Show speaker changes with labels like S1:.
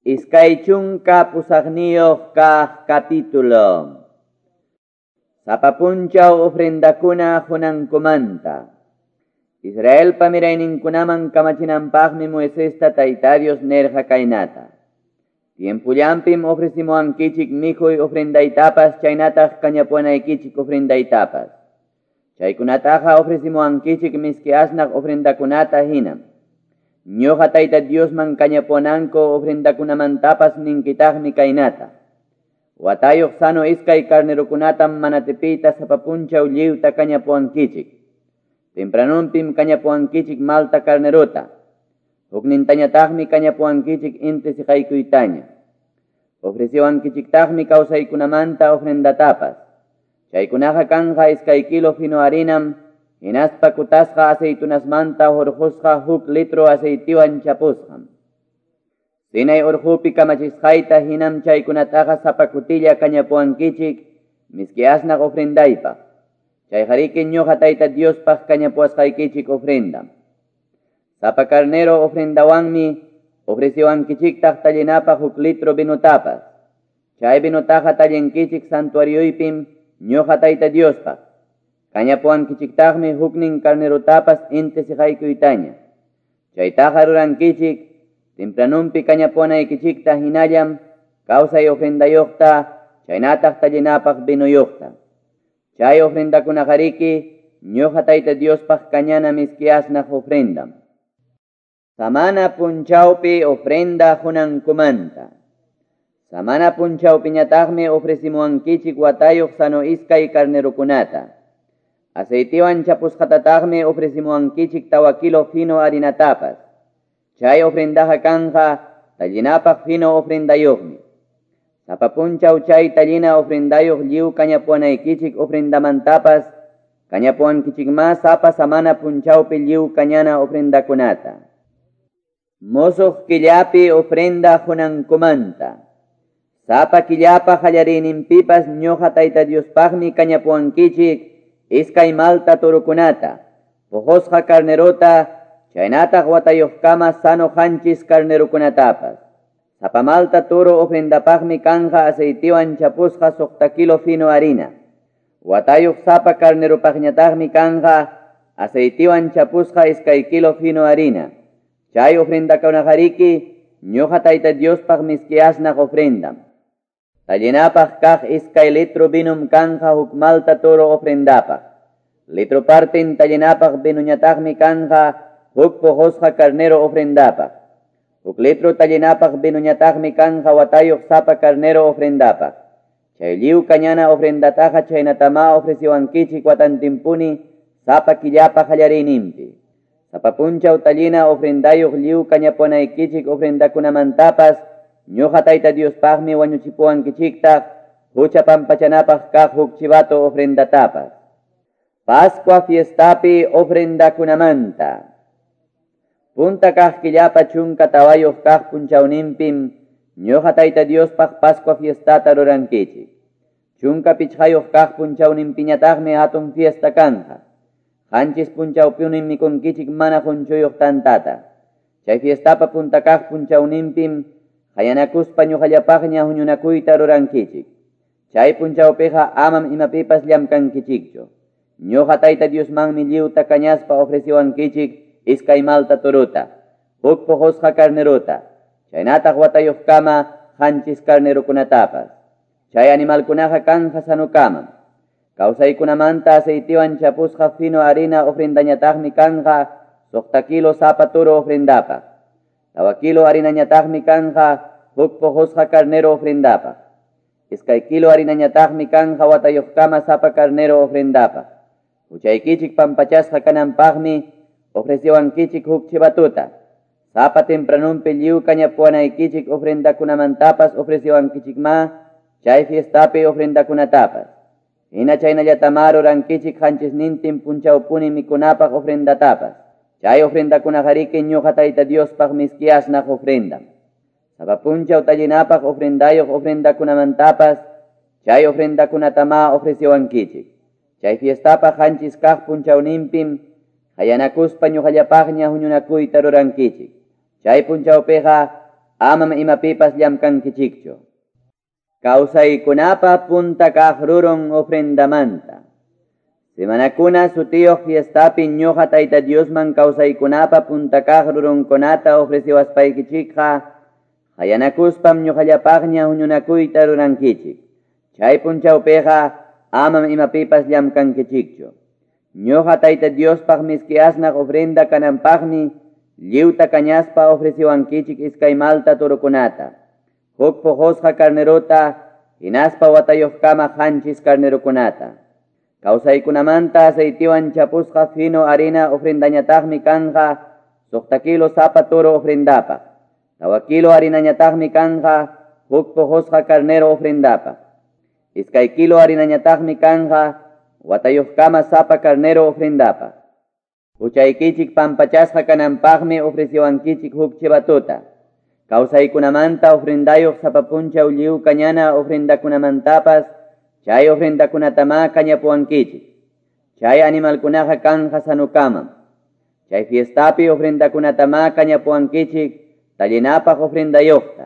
S1: 28 kaq capítulo. Sapa punchaw ofrendakuna qunankumanta. Israelpa mirayninkunaman kamachinanpaqmi Moisesta Tayta Dios nerqa kaynata. Tiempullampim ofrecimuwankichik mikhuy ofrendaytapas chaynataq kañapuwanaykichik ofrendaytapas. Chaykunataqa ofrecimuwankichik miski asnaq ofrendakunata hinam. Ñuqa Tayta Diosman kañapuwananku ofrendakunamantapas ninkitaqmi kaynata. Watayuq sano iskay carnerokunatam manatipita sapa punchaw lliwta kañapuwankichik. Tempranunpim kañapuwankichik malta carnerota. Huknintañataqmi kañapuwankichik inti siqaykuytaña. Ofreciwankichiktaqmi kawsaykunamanta ofrendatapas. Chaykunaqa kanqa iskay kilo fino harinam, hinaspa kutasqa aceitunasmanta hurqusqa huk litro aceitiwan chapusqam. Sinai urqupi kamachisqayta hinam chaykunataqa sapa kutilla kañapuwankichik miski asnaq ofrendaypaq. Chayqariki ñuqa Tayta Diospaq kañapuwasqaykichik ofrendam. Sapa carnero ofrendawanmi ofreciwankichiktaq tallinapaq huk litro vinotapas. Chay vinotaqa tallinkichik santuarioypim ñuqa Tayta Diospaq. Kañapuwankichiktaqmi huknin carnerotapas inti siqaykuytaña. Chaytaqa rurankichik tempranunpi kañapuwanaykichikta hinallam kawsay ofrendayuqta chaynataq tallinapaq vinuyuqta. Chay ofrendakunaqariki ñuqa Tayta Diospaq kañana miski asnaq ofrendam. Samana punchawpi ofrenda qunankumanta. Samana punchawpiñataqmi ofrecimuwankichik watayuq sano iskay carnerokunata. Aceitiwan chapusqatataqmi ofrecimuwankichik 4 kilo fino harinatapas. Chay ofrendaqa kanqa tallinapaq fino ofrendayuqmi. Sapa punchaw chay tallina ofrendayuq lliw kañapuwanaykichik ofrendamantapas kañapuwankichikma sapa samana punchawpi lliw kañana ofrendakunata. Musuq killapi ofrenda qunankumanta. Sapa killapa qallariyninpipas ñuqa Tayta Diospaqmi kañapuwankichik iskay malta torokunata, puqusqa carnerota, chaynataq watayuqkama sano qanchis carnerokunatapas. Sapa malta toro ofrendapaqmi kanqa aceitiwan chapusqa 6 kilo fino harina. Watayuq sapa carneropaqñataqmi kanqa aceitiwan chapusqa 2 kilo fino harina. Chay ofrendakunaqariki ñuqa Tayta Diospaq miski asnaq ofrendam. Tallinapaq kaq 2 litro vinum kanqa huk malta toro ofrendapaq. Litro partin tallinapaq vinuñataqmi kanqa huk puqusqa carnero ofrendapaq. Huk litro tallinapaq vinuñataqmi kanqa watayuq sapa carnero ofrendapaq. Chay lliw kañana ofrendataqa chaynatama ofreciwankichik watantinpuni sapa killapa qallariyninpi. Sapa punchaw tallina ofrendayuq lliw kañapuwanaykichik ofrendakunamantapas ñuqa Tayta Diospaqmi wañuchipuwankichiktaq hucha pampachanapaq kaq huk chivato ofrendatapas. Pascua fiestapi ofrendakunamanta. Punta kaq killapa 14 kaq punchawninpim ñuqa Tayta Diospaq Pascua fiestata rurankichik. 15 kaq punchawninpiñataqmi hatun fiesta kanqa. 7 punchawpunim mikunkichik mana qunchuyuq tantata. Chay fiestapa punta kaq punchawninpim qayanakuspa ñuqallapaqña huñunakuyta rurankichik. Chay punchawpiqa amam imapipas llamkankichikchu. Ñuqa Tayta Diosmanmi lliwta kañaspa ofreciwankichik iskay malta torota, huk puqusqa carnerota, chaynataq watayuqkama 7 carnerokunatapas. Chay animalkunaqa kanja sanukamam. Kawsaykunamanta aceitiwan chapusqa fino harina ofrendañataqmi kanqa 6 kilo sapa toro ofrendapaq. 4 kilo harinañataqmi kanqa huk puqusqa carnero ofrendapaq. 2 kilo harinañataqmi kanqa watayuqkama sapa carnero ofrendapaq. Huchaykichik pampachasqa kananpaqmi ofreciwankichik huk chivatuta. Sapa tempranunpi lliw kañapuwanaykichik ofrendakunamantapas ofreciwankichikma chay fiestapi ofrendakunatapas. Hina chaynallatama rurankichik 7 punchawpuni mikunapaq ofrendatapas. Chay ofrendakunaqariki ñuqa Tayta Diospaq miski asnaq ofrendam. Sapa punchaw tallinapaq ofrendayuq ofrendakunamantapas chay ofrendakunatama ofreciwankichik. Chay fiestapaq 7 kaq punchawninpim qayanakuspa ñuqallapaqña huñunakuyta rurankichik. Chay punchawpiqa amam imapipas llamkankichikchu. Kawsaykunapa punta kaq rurun ofrendamanta. Semanakuna sutiyuq fiestapi ñuqa Tayta Diosman kawsaykunapa punta kaq rurunkunata ofreciwaspaykichikqa, qayanakuspam ñuqallapaqña huñunakuyta rurankichik. Chay punchawpiqa amam imapipas llamkankichikchu. Ñuqa Tayta Diospaq miski asnaq ofrenda kananpaqmi lliwta kañaspa ofreciwankichik iskay malta torokunata, huk puqusqa carnerota, hinaspa watayuqkama qanchis carnerokunata. Kawsaykunamanta aceitiwan chapusqa fino harina ofrendañataqmi kanqa 6 kilo sapa toro ofrendapaq. 4 kilo harinañataqmi kanqa huk puqusqa carnero ofrendapaq. 2 kilo harinañataqmi kanqa watayuqkama sapa carnero ofrendapaq. Huchaykichik pampachasqa kananpaqmi ofreciwankichik huk chivatuta. Kawsaykunamanta ofrendayuq sapa punchaw lliw kañana ofrendakunamantapas chay ofrendakunatamá kañapuwankichik. Chay animalkunaqa kanja sanukamam. Chay fiestapi ofrendakunatamá kañapuwankichik tallinapaq ofrendayuqta.